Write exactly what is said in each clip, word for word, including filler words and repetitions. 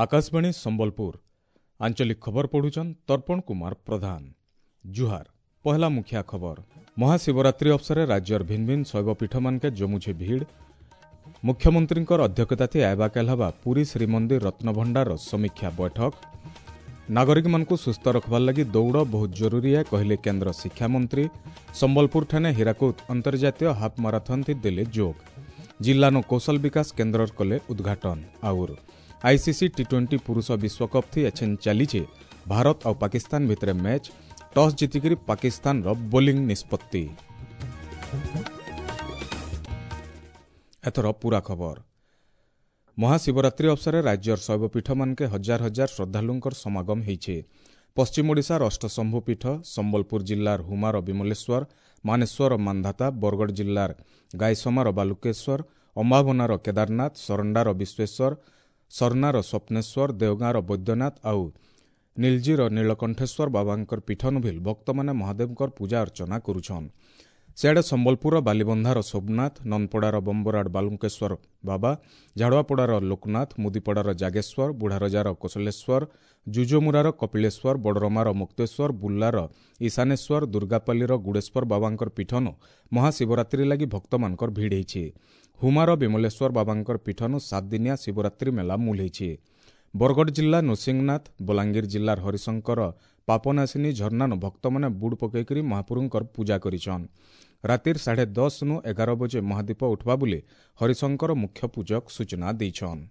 ଆକାଶବାଣୀ ସମ୍ବଲପୁର ଆଞ୍ଚଳିକ ଖବର ପଢୁଛନ୍ ତର୍ପଣ କୁମାର ପ୍ରଧାନ ଜୁହାର ପହଲା ମୁଖିଆ ଖବର ମହାଶିବରାତ୍ରି ଅବସରେ ରାଜ୍ୟର ଭିନ୍ ଭିନ୍ ଶୈବପୀଠମାନକେ ଜମୁଛେ ଭିଡ଼ ମୁଖ୍ୟମନ୍ତ୍ରୀଙ୍କର ଅଧ୍ୟକ୍ଷତାଥି ଆଇବାକାଲ ହେବା ପୁରୀ ଶ୍ରୀମନ୍ଦିର ରତ୍ନଭଣ୍ଡାରର ସମୀକ୍ଷା ବୈଠକ ନାଗରିକମାନଙ୍କୁ ସୁସ୍ଥ ରଖବାର୍ ଲାଗି ଦୌଡ଼ ବହୁତ ଜରୁରୀ ଏ କହିଲେ କେନ୍ଦ୍ର ଶିକ୍ଷାମନ୍ତ୍ରୀ ସମ୍ବଲପୁରଠାନେ ହୀରାକୁଦ ଅନ୍ତର୍ଜାତୀୟ ହାଫ୍ ମାରାଥନ୍ ଥି ଦେଲେ ଯୋଗ ଜିଲ୍ଲାନୁ କୌଶଳ ବିକାଶ କେନ୍ଦ୍ରର କଲେ ଉଦ୍ଘାଟନ ଆଉର ଆଇସିସି ଟି ଟ୍ୱେଣ୍ଟି ପୁରୁଷ ବିଶ୍ୱକପ୍ ଥି ଏଛେନ୍ ଚାଲିଛେ ଭାରତ ଆଉ ପାକିସ୍ତାନ ଭିତରେ ମ୍ୟାଚ୍ ଟସ୍ ଜିତିକିରି ପାକିସ୍ତାନର ବୋଲିଂ ନିଷ୍ପତ୍ତି ଏଥର ପୁରା ଖବର ମହାଶିବରାତ୍ରି ଅବସରରେ ରାଜ୍ୟର ଶୈବପୀଠମାନକେ ହଜାର ହଜାର ଶ୍ରଦ୍ଧାଳୁଙ୍କର ସମାଗମ ହେଇଛେ ପଶ୍ଚିମ ଓଡ଼ିଶାର ଅଷ୍ଟଶମ୍ଭୁ ପୀଠ ସମ୍ବଲପୁର ଜିଲ୍ଲାର ହୁମାର ବିମଲେଶ୍ୱର ମାନେଶ୍ୱର ମାନ୍ଧାତା ବରଗଡ଼ ଜିଲ୍ଲାର ଗାଇସମାର ବାଲୁକେଶ୍ୱର ଅମ୍ବାଭନାର କେଦାରନାଥ ସରଣ୍ଡାର ବିଶ୍ୱେଶ୍ୱର ସରନାର ସ୍ୱପ୍ନେଶ୍ୱର ଦେଓଗାଁର ବୈଦ୍ୟନାଥ ଆଉ ନୀଲଜିର ନୀଳକଣ୍ଠେଶ୍ୱର ବାବାଙ୍କର ପୀଠନୁ ଭିଲ୍ ଭକ୍ତମାନେ ମହାଦେବଙ୍କର ପୂଜା ଅର୍ଚ୍ଚନା କରୁଛନ୍ ସିଆଡ଼େ ସମ୍ବଲପୁରର ବାଲିବନ୍ଧାର ସୋମନାଥ ନନ୍ଦପଡ଼ାର ବମ୍ବରାଡ଼ ବାଲୁଙ୍କେଶ୍ୱର ବାବା ଝାଡ଼ୁଆପଡ଼ାର ଲୋକନାଥ ମୁଦିପଡ଼ାର ଜାଗେଶ୍ୱର ବୁଢ଼ାରଜାର କୋଶଲେଶ୍ୱର ଜୁଜୁମୁରାର କପିଳେଶ୍ୱର ବଡ଼ରମାର ମୁକ୍ତେଶ୍ୱର ବୁର୍ଲାର ଈଶାନେଶ୍ୱର ଦୁର୍ଗାପାଲିର ଗୁଡ଼େଶ୍ୱର ବାବାଙ୍କର ପୀଠନୁ ମହାଶିବରାତ୍ରି ଲାଗି ଭକ୍ତମାନଙ୍କର ଭିଡ଼ ହେଇଛି ହୁମାର ବିମଲେଶ୍ୱର ବାବାଙ୍କର ପୀଠନୁ ସାତଦିନିଆ ଶିବରାତ୍ରି ମେଳା ମୂଲ ହେଇଛି ବରଗଡ଼ ଜିଲ୍ଲା ନୃସିଂହନାଥ ବଲାଙ୍ଗୀର ଜିଲ୍ଲାର ହରିଶଙ୍କର ପାପନାସିନୀ ଝରଣାନୁ ଭକ୍ତମାନେ ବୁଡ଼ ପକେଇକରି ମହାପୁରୁଙ୍କର ପୂଜା କରିଛନ୍ ରାତିର ସାଢ଼େ ଦଶନୁ ଏଗାର ବଜେ ମହାଦୀପ ଉଠବା ବୋଲି ହରିଶଙ୍କର ମୁଖ୍ୟ ପୂଜକ ସୂଚନା ଦେଇଛନ୍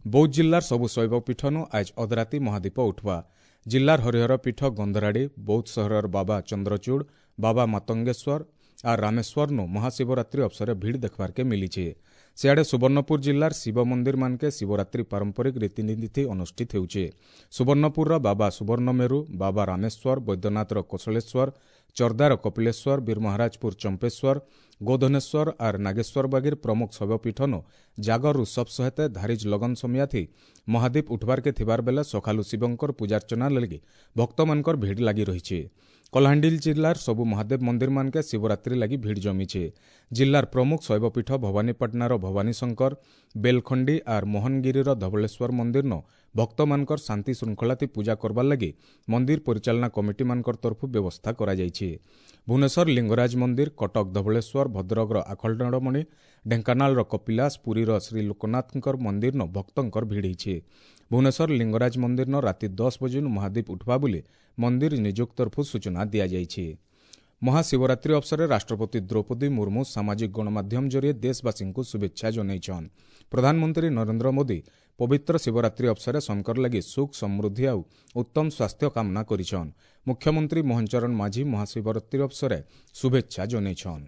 ବୌଦ୍ଧ ଜିଲ୍ଲାର ସବୁ ଶୈବପୀଠନୁ ଆଜ ଅଧରାତି ମହାଦୀପ ଉଠବା ଜିଲ୍ଲାର ହରିହର ପୀଠ ଗନ୍ଧରାଡ଼ି ବୌଦ୍ଧ ସହରର ବାବା ଚନ୍ଦ୍ରଚୂଡ଼ ବାବା ମାତଙ୍ଗେଶ୍ୱର ଆର୍ ରାମେଶ୍ୱରନୁ ମହାଶିବରାତ୍ରି ଅବସରେ ଭିଡ଼ ଦେଖବାର୍କେ ମିଲିଛେ ସିଆଡ଼େ ସୁବର୍ଣ୍ଣପୁର ଜିଲ୍ଲାର ଶିବ ମନ୍ଦିରମାନକେ ଶିବରାତ୍ରି ପାରମ୍ପରିକ ରୀତିନୀତି ଅନୁଷ୍ଠିତ ହେଉଛେ ସୁବର୍ଣ୍ଣପୁରର ବାବା ସୁବର୍ଣ୍ଣମେରୁ ବାବା ରାମେଶ୍ୱର ବୈଦ୍ୟନାଥର କୋଶଳେଶ୍ୱର ଚର୍ଦାର କପିଳେଶ୍ୱର ବୀରମହାରାଜପୁର ଚମ୍ପେଶ୍ୱର ଗୋଧନେଶ୍ୱର ଆର୍ ନାଗେଶ୍ୱର ବାଗିର ପ୍ରମୁଖ ଶୈବପୀଠନୁ ଜାଗର ଉତ୍ସବ ସହିତ ଧାରିଜ ଲଗନ ସମିଆଥି ମହାଦୀପ ଉଠବାର୍କେ ଥିବାର ବେଲେ ସକାଳୁ ଶିବଙ୍କର ପୂଜାର୍ଚ୍ଚନା ଲାଗି ଭକ୍ତମାନଙ୍କର ଭିଡ଼ ଲାଗି ରହିଛି କଳାହାଣ୍ଡି ଜିଲ୍ଲାର ସବୁ ମହାଦେବ ମନ୍ଦିରମାନକେ ଶିବରାତ୍ରି ଲାଗି ଭିଡ଼ ଜମିଛେ ଜିଲ୍ଲାର ପ୍ରମୁଖ ଶୈବପୀଠ ଭବାନୀପାଟଣାର ଭବାନୀଶଙ୍କର ବେଲଖଣ୍ଡି ଆର୍ ମୋହନଗିରିର ଧବଳେଶ୍ୱର ମନ୍ଦିରନ ଭକ୍ତମାନଙ୍କର ଶାନ୍ତି ଶୃଙ୍ଖଳାଥି ପୂଜା କରବାର୍ ଲାଗି ମନ୍ଦିର ପରିଚାଳନା କମିଟିମାନଙ୍କର ତରଫରୁ ବ୍ୟବସ୍ଥା କରାଯାଇଛି ଭୁବନେଶ୍ୱର ଲିଙ୍ଗରାଜ ମନ୍ଦିର କଟକ ଧବଳେଶ୍ୱର ଭଦ୍ରକର ଆଖଣ୍ଡଳମଣି ଢେଙ୍କାନାଳର କପିଳାସ ପୁରୀର ଶ୍ରୀ ଲୋକନାଥଙ୍କର ମନ୍ଦିରନ ଭକ୍ତଙ୍କର ଭିଡ଼ ହେଇଛି ଭୁବନେଶ୍ୱର ଲିଙ୍ଗରାଜ ମନ୍ଦିରନ ରାତି ଦଶ ବଜେନୁ ମହାଦୀପ ଉଠବା ବୋଲି ମନ୍ଦିର ନିଯୁକ୍ତ ତରଫରୁ ସୂଚନା ଦିଆଯାଇଛି ମହାଶିବରାତ୍ରି ଅବସରରେ ରାଷ୍ଟ୍ରପତି ଦ୍ରୌପଦୀ ମୁର୍ମୁ ସାମାଜିକ ଗଣମାଧ୍ୟମ ଜରିଏ ଦେଶବାସୀଙ୍କୁ ଶୁଭେଚ୍ଛା ଜଣାଇଛନ୍ ପ୍ରଧାନମନ୍ତ୍ରୀ ନରେନ୍ଦ୍ର ମୋଦି ପବିତ୍ର ଶିବରାତ୍ରି ଅବସରରେ ଶଙ୍କର ଲାଗି ସୁଖ ସମୃଦ୍ଧି ଆଉ ଉତ୍ତମ ସ୍ୱାସ୍ଥ୍ୟ କାମନା କରିଛନ୍ ମୁଖ୍ୟମନ୍ତ୍ରୀ ମୋହନ ଚରଣ ମାଝୀ ମହାଶିବରାତ୍ରି ଅବସରରେ ଶୁଭେଚ୍ଛା ଜଣାଇଛନ୍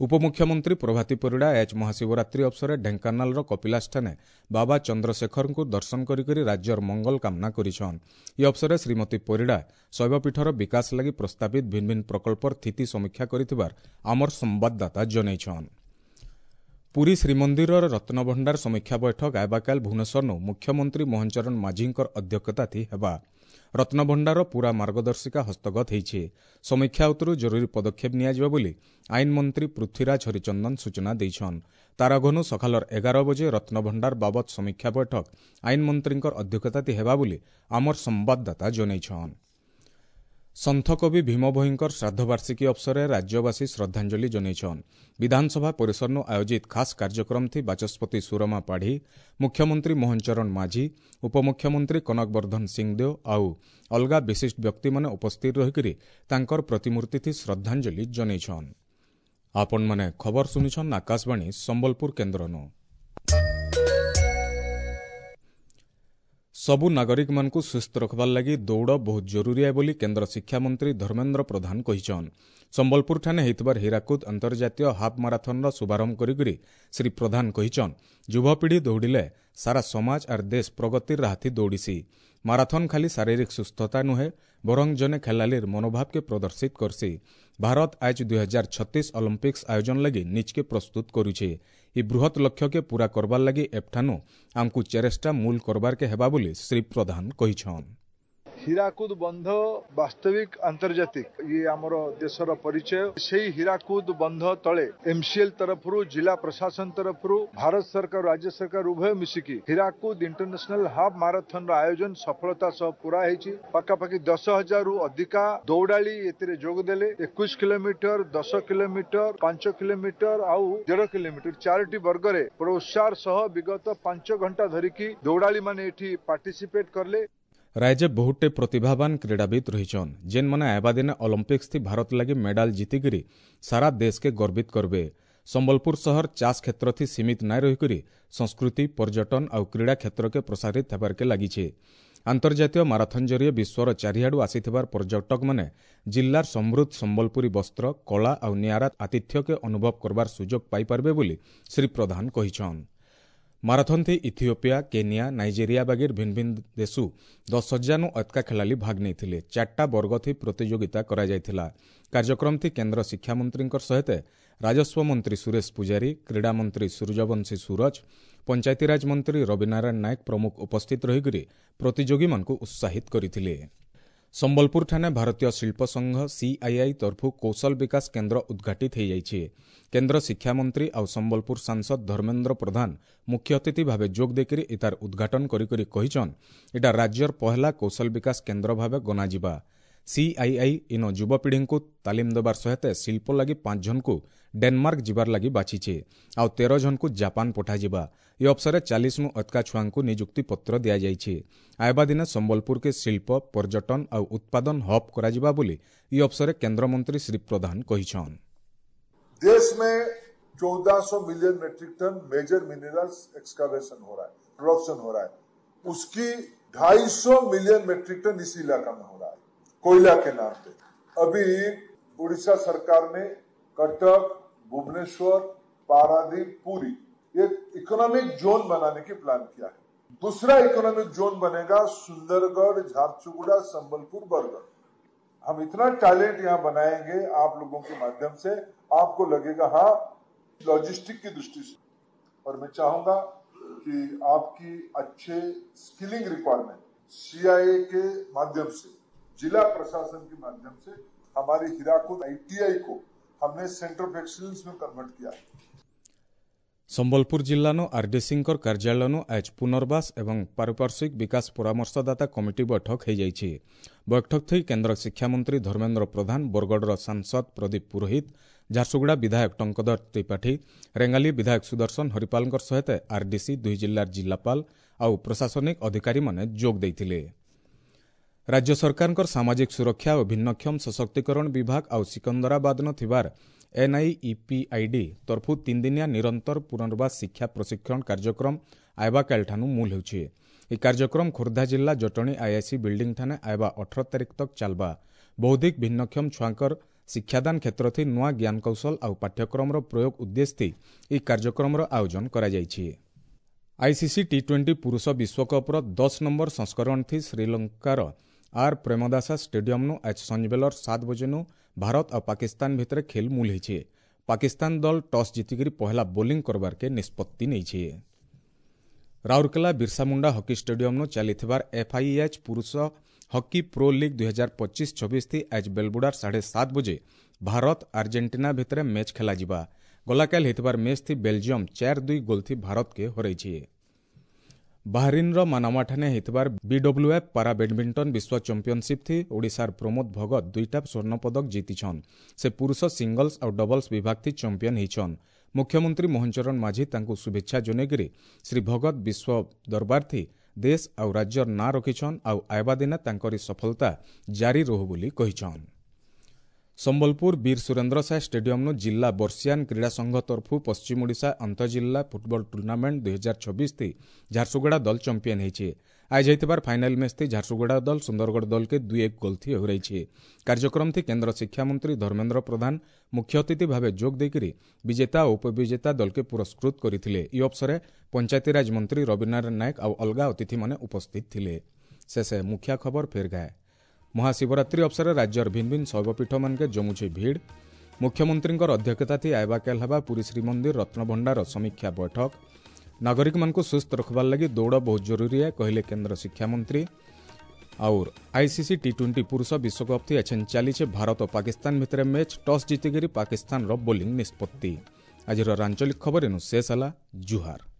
ଉପମୁଖ୍ୟମନ୍ତ୍ରୀ ପ୍ରଭାତୀ ପରିଡ଼ା ଆଜ ମହାଶିବରାତ୍ରି ଅବସରରେ ଢେଙ୍କାନାଳର କପିଳାସଠାନେ ବାବା ଚନ୍ଦ୍ରଶେଖରଙ୍କୁ ଦର୍ଶନ କରିକରି ରାଜ୍ୟର ମଙ୍ଗଳ କାମନା କରିଛନ୍ ଏ ଅବସରରେ ଶ୍ରୀମତୀ ପରିଡ଼ା ଶୈବପୀଠର ବିକାଶ ଲାଗି ପ୍ରସ୍ତାବିତ ଭିନ୍ ଭିନ୍ ପ୍ରକଳ୍ପର ସ୍ଥିତି ସମୀକ୍ଷା କରିଥିବାର ଆମର ସମ୍ବାଦଦାତା ଜଣାଇଛନ୍ ପୁରୀ ଶ୍ରୀମନ୍ଦିରର ରତ୍ନଭଣ୍ଡାର ସମୀକ୍ଷା ବୈଠକ ଆଇବାକାଲ ଭୁବନେଶ୍ୱରନୁ ମୁଖ୍ୟମନ୍ତ୍ରୀ ମୋହନ ଚରଣ ମାଝୀଙ୍କର ଅଧ୍ୟକ୍ଷତାଥି ହେବା ରତ୍ନଭଣ୍ଡାର ପୁରା ମାର୍ଗଦର୍ଶିକା ହସ୍ତଗତ ହେଇଛି ସମୀକ୍ଷା ଉତ୍ତରୁ ଜରୁରୀ ପଦକ୍ଷେପ ନିଆଯିବ ବୋଲି ଆଇନ ମନ୍ତ୍ରୀ ପୃଥ୍ୱୀରାଜ ହରିଚନ୍ଦନ ସୂଚନା ଦେଇଛନ୍ ତାରାଘନୁ ସକାଳର ଏଗାର ବଜେ ରତ୍ନଭଣ୍ଡାର ବାବଦ ସମୀକ୍ଷା ବୈଠକ ଆଇନ ମନ୍ତ୍ରୀଙ୍କର ଅଧ୍ୟକ୍ଷତାଥି ହେବା ବୋଲି ଆମର ସମ୍ବାଦଦାତା ଜଣାଇଛନ୍ ସନ୍ଥକବି ଭୀମ ଭୋଇଙ୍କର ଶ୍ରାଦ୍ଧବାର୍ଷିକୀ ଅବସରରେ ରାଜ୍ୟବାସୀ ଶ୍ରଦ୍ଧାଞ୍ଜଳି ଜଣାଇଛନ୍ ବିଧାନସଭା ପରିସରନୁ ଆୟୋଜିତ ଖାସ୍ କାର୍ଯ୍ୟକ୍ରମ ଥି ବାଚସ୍ପତି ସୁରମା ପାଢ଼ୀ ମୁଖ୍ୟମନ୍ତ୍ରୀ ମୋହନ ଚରଣ ମାଝୀ ଉପମୁଖ୍ୟମନ୍ତ୍ରୀ କନକ ବର୍ଦ୍ଧନ ସିଂଦେଓ ଆଉ ଅଲଗା ବିଶିଷ୍ଟ ବ୍ୟକ୍ତିମାନେ ଉପସ୍ଥିତ ରହିକରି ତାଙ୍କର ପ୍ରତିମୂର୍ତ୍ତି ଶ୍ରଦ୍ଧାଞ୍ଜଳି ଜଣାଇଛନ୍ ଆପଣମାନେ ଖବର ଶୁଣିଛନ୍ ଆକାଶବାଣୀ ସମ୍ବଲପୁର କେନ୍ଦ୍ରନୁ ସବୁ ନାଗରିକମାନଙ୍କୁ ସୁସ୍ଥ ରଖବାର୍ ଲାଗି ଦୌଡ଼ ବହୁତ ଜରୁରୀ ଏ ବୋଲି କେନ୍ଦ୍ର ଶିକ୍ଷାମନ୍ତ୍ରୀ ଧର୍ମେନ୍ଦ୍ର ପ୍ରଧାନ କହିଛନ୍ ସମ୍ବଲପୁରଠାନେ ହେଇଥିବାର ହୀରାକୁଦ ଅନ୍ତର୍ଜାତୀୟ ହାଫ୍ ମାରାଥନ୍ର ଶୁଭାରମ୍ଭ କରିକରି ଶ୍ରୀ ପ୍ରଧାନ କହିଛନ୍ ଯୁବପିଢ଼ି ଦୌଡ଼ିଲେ ସାରା ସମାଜ ଆର୍ ଦେଶ ପ୍ରଗତିର ରାହାଥି ଦୌଡ଼ିସି ମାରାଥନ୍ ଖାଲି ଶାରୀରିକ ସୁସ୍ଥତା ନୁହେଁ ବରଂ ଜଣେ ଖେଳାଳିର ମନୋଭାବକେ ପ୍ରଦର୍ଶିତ କରସି ଭାରତ ଆଜ ଦୁଇ ହଜାର ଛତିଶ ଅଲିମ୍ପିକ୍ସ ଆୟୋଜନ ଲାଗି ନିଜକେ ପ୍ରସ୍ତୁତ କରୁଛେ ଇ ବୃହତ୍ ଲକ୍ଷ୍ୟକେ ପୂରା କରବାର୍ ଲାଗି ଏଠାନୁ ଆମକୁ ଚେଷ୍ଟା ମୂଲ କରବାର୍କେ ହେବା ବୋଲି ଶ୍ରୀ ପ୍ରଧାନ କହିଛନ୍। ହୀରାକୁଦ ବନ୍ଧ ବାସ୍ତବିକ ଆନ୍ତର୍ଜାତିକ, ଇଏ ଆମର ଦେଶର ପରିଚୟ। ସେଇ ହୀରାକୁଦ ବନ୍ଧ ତଳେ ଏମସିଏଲ ତରଫରୁ, ଜିଲ୍ଲା ପ୍ରଶାସନ ତରଫରୁ, ଭାରତ ସରକାର, ରାଜ୍ୟ ସରକାର ଉଭୟ ମିଶିକି ହୀରାକୁଦ ଇଣ୍ଟରନ୍ୟାସନାଲ ହାଫ୍ ମାରାଥନର ଆୟୋଜନ ସଫଳତା ସହ ପୁରା ହେଇଛି। ପାଖାପାଖି ଦଶ ହଜାରରୁ ଅଧିକା ଦୌଡ଼ାଳି ଏଥିରେ ଯୋଗ ଦେଲେ। ଏକୋଇଶ କିଲୋମିଟର, ଦଶ କିଲୋମିଟର, ପାଞ୍ଚ କିଲୋମିଟର ଆଉ ଦେଢ଼ କିଲୋମିଟର ଚାରୋଟି ବର୍ଗରେ ପ୍ରୋତ୍ସାହର ସହ ବିଗତ ପାଞ୍ଚ ଘଣ୍ଟା ଧରିକି ଦୌଡ଼ାଳି ମାନେ ଏଠି ପାର୍ଟିସିପେଟ କଲେ। ରାଜ୍ୟ ବହୁଟେ ପ୍ରତିଭାବାନ କ୍ରୀଡ଼ାବିତ୍ ରହିଛନ୍, ଯେନ୍ମାନେ ଆଇବା ଦିନେ ଅଲିମ୍ପିକ୍ସ ଥି ଭାରତ ଲାଗି ମେଡାଲ ଜିତିକିରି ସାରା ଦେଶକେ ଗର୍ବିତ କରବେ। ସମ୍ବଲପୁର ସହର ଚାଷ କ୍ଷେତ୍ର ଥି ସୀମିତ ନାଇଁ ରହିକରି ସଂସ୍କୃତି, ପର୍ଯ୍ୟଟନ ଆଉ କ୍ରୀଡ଼ା କ୍ଷେତ୍ରକେ ପ୍ରସାରିତ ହେବାର୍କେ ଲାଗିଛେ। ଆନ୍ତର୍ଜାତୀୟ ମାରାଥନ ଜରିଏ ବିଶ୍ୱର ଚାରିଆଡ଼ୁ ଆସିଥିବାର ପର୍ଯ୍ୟଟକମାନେ ଜିଲ୍ଲାର ସମୃଦ୍ଧ ସମ୍ବଲପୁରୀ ବସ୍ତ୍ର, କଳା ଆଉ ନିଆରା ଆତିଥ୍ୟକେ ଅନୁଭବ କରବାର ସୁଯୋଗ ପାଇପାରିବେ ବୋଲି ଶ୍ରୀ ପ୍ରଧାନ କହିଛନ୍। ମାରାଥନ ଥି ଇଥିଓପିଆ, କେନିଆ, ନାଇଜେରିଆ ବାଗିର ଭିନ୍ନ ଭିନ୍ନ ଦେଶୁ ଦଶ ହଜାରନୁ ଅତକା ଖେଳାଳି ଭାଗ ନେଇଥିଲେ। ଚାରିଟା ବର୍ଗ ଥି ପ୍ରତିଯୋଗିତା କରାଯାଇଥିଲା। କାର୍ଯ୍ୟକ୍ରମ ଥି କେନ୍ଦ୍ର ଶିକ୍ଷାମନ୍ତ୍ରୀଙ୍କ ସହିତ ରାଜସ୍ୱ ମନ୍ତ୍ରୀ ସୁରେଶ ପୂଜାରୀ, କ୍ରୀଡ଼ା ମନ୍ତ୍ରୀ ସୂର୍ଯ୍ୟବଂଶୀ ସୁରଜ, ପଞ୍ଚାୟତିରାଜ ମନ୍ତ୍ରୀ ରବିନାରାୟଣ ନାୟକ ପ୍ରମୁଖ ଉପସ୍ଥିତ ରହିକରି ପ୍ରତିଯୋଗୀମାନଙ୍କୁ ଉତ୍ସାହିତ କରିଥିଲେ। ସମ୍ବଲପୁରଠାରେ ଭାରତୀୟ ଶିଳ୍ପ ସଂଘ ସିଆଇଆଇ ତରଫୁ କୌଶଳ ବିକାଶ କେନ୍ଦ୍ର ଉଦ୍ଘାଟିତ ହୋଇଯାଇଛି। କେନ୍ଦ୍ର ଶିକ୍ଷାମନ୍ତ୍ରୀ ଆଉ ସମ୍ବଲପୁର ସାଂସଦ ଧର୍ମେନ୍ଦ୍ର ପ୍ରଧାନ ମୁଖ୍ୟ ଅତିଥି ଭାବେ ଯୋଗ ଦେଇକରି ଏତାର ଉଦ୍ଘାଟନ କରିକରି କହିଛନ୍, ଏଟା ରାଜ୍ୟର ପହଲା କୌଶଳ ବିକାଶ କେନ୍ଦ୍ର ଭାବେ ଗଣାଯିବା। ସିଆଇଆଇ ଇନ ଯୁବପିଢ଼ିଙ୍କୁ ତାଲିମ ଦେବାର ସହିତ ଶିଳ୍ପ ଲାଗି ପାଞ୍ଚ ଜଣଙ୍କୁ ଡେନମାର୍କ ଯିବାର ଲାଗି ବାଛିଛେ, ଆଉ ତେର ଜଣଙ୍କୁ ଜାପାନ ପଠାଯିବା। ଏ ଅବସରରେ ଚାଳିଶନୁ ଅତକା ଛୁଆଙ୍କୁ ନିଯୁକ୍ତି ପତ୍ର ଦିଆଯାଇଛି। ଆଇବା ଦିନେ ସମ୍ବଲପୁରକେ ଶିଳ୍ପ, ପର୍ଯ୍ୟଟନ ଆଉ ଉତ୍ପାଦନ ହବ୍ କରାଯିବା ବୋଲି ଏ ଅବସରରେ କେନ୍ଦ୍ରମନ୍ତ୍ରୀ ଶ୍ରୀ ପ୍ରଧାନ କହିଛନ୍। देश में चौदह सौ million metric ton major minerals excavation हो रहा है, प्रोडक्शन हो रहा है। उसकी ढाई सौ मिलियन मेट्रिक टन इस इलाका में हो रहा है कोयला के नाम पे। अभी उड़ीसा सरकार ने कटक, भुवनेश्वर, पारादीप, पुरी एक इकोनॉमिक जोन बनाने की प्लान किया है। दूसरा इकोनॉमिक जोन बनेगा सुंदरगढ़, झारसुगुड़ा, संबलपुर, बरगढ़। हम इतना टैलेंट यहाँ बनाएंगे आप लोगों के माध्यम से, आपको लगेगा हाँ लॉजिस्टिक की दृष्टि से। और मैं चाहूंगा कि आपकी अच्छे स्किलिंग रिक्वायरमेंट सीआईए के माध्यम से, जिला प्रशासन के माध्यम से हमारी हीराकुद आईटीआई को हमने सेंटर ऑफ एक्सीलेंस में कन्वर्ट किया है। ସମ୍ବଲପୁର ଜିଲ୍ଲାନୁ ଆରଡିସିଙ୍କର କାର୍ଯ୍ୟାଳୟନୁ ଆଜ ପୁନର୍ବାସ ଏବଂ ପାରିପାର୍ଶ୍ୱିକ ବିକାଶ ପରାମର୍ଶଦାତା କମିଟି ବୈଠକ ହୋଇଯାଇଛି। ବୈଠକ ଥି କେନ୍ଦ୍ର ଶିକ୍ଷାମନ୍ତ୍ରୀ ଧର୍ମେନ୍ଦ୍ର ପ୍ରଧାନ, ବରଗଡ଼ର ସାଂସଦ ପ୍ରଦୀପ ପୁରୋହିତ, ଝାରସୁଗୁଡ଼ା ବିଧାୟକ ଟଙ୍କଧର ତ୍ରିପାଠୀ, ରେଙ୍ଗାଲି ବିଧାୟକ ସୁଦର୍ଶନ ହରିପାଲଙ୍କ ସହିତ ଆରଡିସି, ଦୁଇ ଜିଲ୍ଲାର ଜିଲ୍ଲାପାଳ ଆଉ ପ୍ରଶାସନିକ ଅଧିକାରୀମାନେ ଯୋଗ ଦେଇଥିଲେ। ରାଜ୍ୟ ସରକାରଙ୍କର ସାମାଜିକ ସୁରକ୍ଷା ଓ ଭିନ୍ନକ୍ଷମ ସଶକ୍ତିକରଣ ବିଭାଗ ଆଉ ସିକନ୍ଦରାବାଦନ ଥିବାର ଏନ୍ଆଇଇପିଆଇଡି ତରଫୁ ତିନିଦିନିଆ ନିରନ୍ତର ପୁନର୍ବାସ ଶିକ୍ଷା ପ୍ରଶିକ୍ଷଣ କାର୍ଯ୍ୟକ୍ରମ ଆଇବାକାଲଠାନୁ ମୂଲ ହେଉଛି। ଏହି କାର୍ଯ୍ୟକ୍ରମ ଖୋର୍ଦ୍ଧା ଜିଲ୍ଲା ଜଟଣୀ ଆଇଆଇସି ବିଲ୍ଡିଂ ଠାନେ ଆଇବା ଅଠର ତାରିଖ ତକ୍ ଚାଲବା। ବୌଦ୍ଧିକ ଭିନ୍ନକ୍ଷମ ଛୁଆଙ୍କର ଶିକ୍ଷାଦାନ କ୍ଷେତ୍ର ଥି ନୂଆ ଜ୍ଞାନକୌଶଳ ଆଉ ପାଠ୍ୟକ୍ରମର ପ୍ରୟୋଗ ଉଦ୍ଦେଶ୍ୟ ଏହି କାର୍ଯ୍ୟକ୍ରମର ଆୟୋଜନ କରାଯାଇଛି। ଆଇସିସି ଟି ଟ୍ୱେଣ୍ଟି ପୁରୁଷ ବିଶ୍ୱକପ୍ର ଦଶ ନମ୍ବର ସଂସ୍କରଣ ଥି ଶ୍ରୀଲଙ୍କାର ଆର୍ ପ୍ରେମଦାସା ଷ୍ଟାଡିୟମ୍ନୁ ଆଜ ସଞ୍ଜବେଲର ସାତ ବଜେନୁ ଭାରତ ଆଉ ପାକିସ୍ତାନ ଭିତରେ ଖେଲ ମୂଲ ହେଇଛେ। ପାକିସ୍ତାନ ଦଳ ଟସ୍ ଜିତିକରି ପହଲା ବୋଲିଂ କରବାର୍କେ ନିଷ୍ପତ୍ତି ନେଇଛେ। ରାଉରକେଲା ବିର୍ସାମୁଣ୍ଡା ହକି ଷ୍ଟାଡିୟମ୍ନୁ ଚାଲିଥିବାର ଏଫ୍ଆଇଏଚ୍ ପୁରୁଷ ହକି ପ୍ରୋ ଲିଗ୍ ଦୁଇ ହଜାର ପଚିଶ ଛବିଶ ଥି ଆଜ ବେଲବୁଡ଼ାର ସାଢ଼େ ସାତ ବଜେ ଭାରତ ଆର୍ଜେଣ୍ଟିନା ଭିତରେ ମ୍ୟାଚ୍ ଖେଲାଯିବା। ଗଲାକାଲ ହେଇଥିବାର ମ୍ୟାଚ୍ ଥି ବେଲଜିୟମ୍ ଚାର ଦୁଇ ଗୋଲ୍ ଥି ଭାରତକେ ହରାଇଛେ। ବାହରିନ୍ର ମାନାମାଠାନେ ହେଇଥିବାର ବିଡବ୍ଲ୍ୟୁଏଫ୍ ପାରା ବ୍ୟାଡମିଣ୍ଟନ ବିଶ୍ୱ ଚାମ୍ପିଅନସିପ୍ ଥି ଓଡ଼ିଶାର ପ୍ରମୋଦ ଭଗତ ଦୁଇଟା ସ୍ୱର୍ଣ୍ଣପଦକ ଜିତିଛନ୍। ସେ ପୁରୁଷ ସିଙ୍ଗଲ୍ସ ଆଉ ଡବଲ୍ସ ବିଭାଗ ଥି ଚାମ୍ପିଅନ୍ ହେଇଛନ୍। ମୁଖ୍ୟମନ୍ତ୍ରୀ ମୋହନ ଚରଣ ମାଝୀ ତାଙ୍କୁ ଶୁଭେଚ୍ଛା ଜଣାଇକରି ଶ୍ରୀ ଭଗତ ବିଶ୍ୱ ଦରବାର ଥି ଦେଶ ଆଉ ରାଜ୍ୟର ନାଁ ରଖିଛନ୍ ଆଉ ଆଇବା ଦିନେ ତାଙ୍କରି ସଫଳତା ଜାରି ରହୁ ବୋଲି କହିଛନ୍। ସମ୍ବଲପୁର ବୀର ସୁରେନ୍ଦ୍ର ସାଏ ଷ୍ଟାଡିୟମ୍ନୁ ଜିଲ୍ଲା ବର୍ଷିଆନ କ୍ରୀଡ଼ା ସଂଘ ତରଫୁ ପଶ୍ଚିମ ଓଡ଼ିଶା ଅନ୍ତଃଜିଲ୍ଲା ଫୁଟବଲ ଟୁର୍ଣ୍ଣାମେଣ୍ଟ ଦୁଇ ହଜାର ଛବିଶ ଥି ଝାରସୁଗୁଡ଼ା ଦଳ ଚାମ୍ପିଅନ୍ ହେଇଛେ। ଆଜ ହେଇଥିବାର ଫାଇନାଲ ମ୍ୟାଚ୍ ଥି ଝାରସୁଗୁଡ଼ା ଦଳ ସୁନ୍ଦରଗଡ଼ ଦଳକେ ଦୁଇ ଏକ ଗୋଲ୍ ଥି ହରାଇଛେ। କାର୍ଯ୍ୟକ୍ରମ ଥି କେନ୍ଦ୍ର ଶିକ୍ଷାମନ୍ତ୍ରୀ ଧର୍ମେନ୍ଦ୍ର ପ୍ରଧାନ ମୁଖ୍ୟ ଅତିଥି ଭାବେ ଯୋଗ ଦେଇକରି ବିଜେତା ଓ ଉପବିଜେତା ଦଳକେ ପୁରସ୍କୃତ କରିଥିଲେ। ଏହି ଅବସରେ ପଞ୍ଚାୟତିରାଜ ମନ୍ତ୍ରୀ ରବିନାରାୟଣ ନାୟକ ଆଉ ଅଲଗା ଅତିଥିମାନେ ଉପସ୍ଥିତ ଥିଲେ। ଶେଷେ ମୁଖ୍ୟ ଖବର ଫେର୍ ଗାଏ। ମହାଶିବରାତ୍ରି ଅବସରରେ ରାଜ୍ୟର ଭିନ୍ନ ଭିନ୍ନ ଶୈବପୀଠମାନକେ ଜମୁଛି ଭିଡ଼। ମୁଖ୍ୟମନ୍ତ୍ରୀଙ୍କର ଅଧ୍ୟକ୍ଷତା ଥି ଆଇବାକାଲ ହେବା ପୁରୀ ଶ୍ରୀମନ୍ଦିର ରତ୍ନଭଣ୍ଡାର ସମୀକ୍ଷା ବୈଠକ। ନାଗରିକମାନଙ୍କୁ ସୁସ୍ଥ ରଖବାର ଲାଗି ଦୌଡ଼ ବହୁତ ଜରୁରୀ କହିଲେ କେନ୍ଦ୍ର ଶିକ୍ଷାମନ୍ତ୍ରୀ। ଆଉର୍ ଆଇସିସି ଟି ଟ୍ୱେଣ୍ଟି ପୁରୁଷ ବିଶ୍ୱକପ୍ ଥି ଏଛେନ୍ ଚାଲିଛେ ଭାରତ ପାକିସ୍ତାନ ଭିତରେ ମ୍ୟାଚ୍। ଟସ୍ ଜିତିକରି ପାକିସ୍ତାନର ବୋଲିଂ ନିଷ୍ପତ୍ତି। ଆଜିର ଆଞ୍ଚଳିକ ଖବର ଏନୁ ଶେଷ ହେଲା। ଜୁହାର।